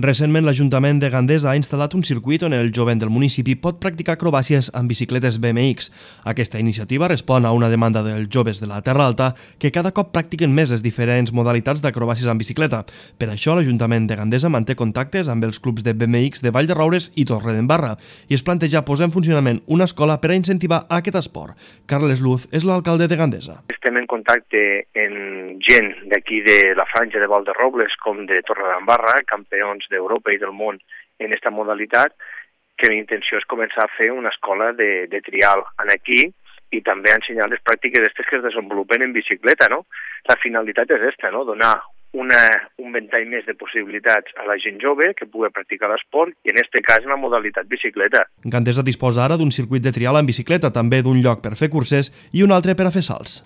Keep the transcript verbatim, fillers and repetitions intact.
Recentment, l'Ajuntament de Gandesa ha instal·lat un circuit on el jovent del municipi pot practicar acrobàcies amb bicicletes B M X. Aquesta iniciativa respon a una demanda dels joves de la Terra Alta que cada cop practiquen més les diferents modalitats d'acrobàcies amb bicicleta. Per això, l'Ajuntament de Gandesa manté contactes amb els clubs de B M X de Vall de Roures i Torredembarra i es planteja posar en funcionament una escola per a incentivar aquest esport. Carles Luz és l'alcalde de Gandesa. Estem en contacte amb gent d'aquí de la franja de Vall de Robles com de Torredembarra, campions d'Europa i del món en aquesta modalitat, que la intenció és començar a fer una escola de, de trial en aquí i també ensenyar les pràctiques aquestes que es desenvolupen en bicicleta, no? La finalitat és aquesta, no? Donar una, un ventall més de possibilitats a la gent jove que pugui practicar l'esport i en aquest cas en la modalitat bicicleta. Gandesa disposa ara d'un circuit de trial en bicicleta, també d'un lloc per fer curses i un altre per a fer salts.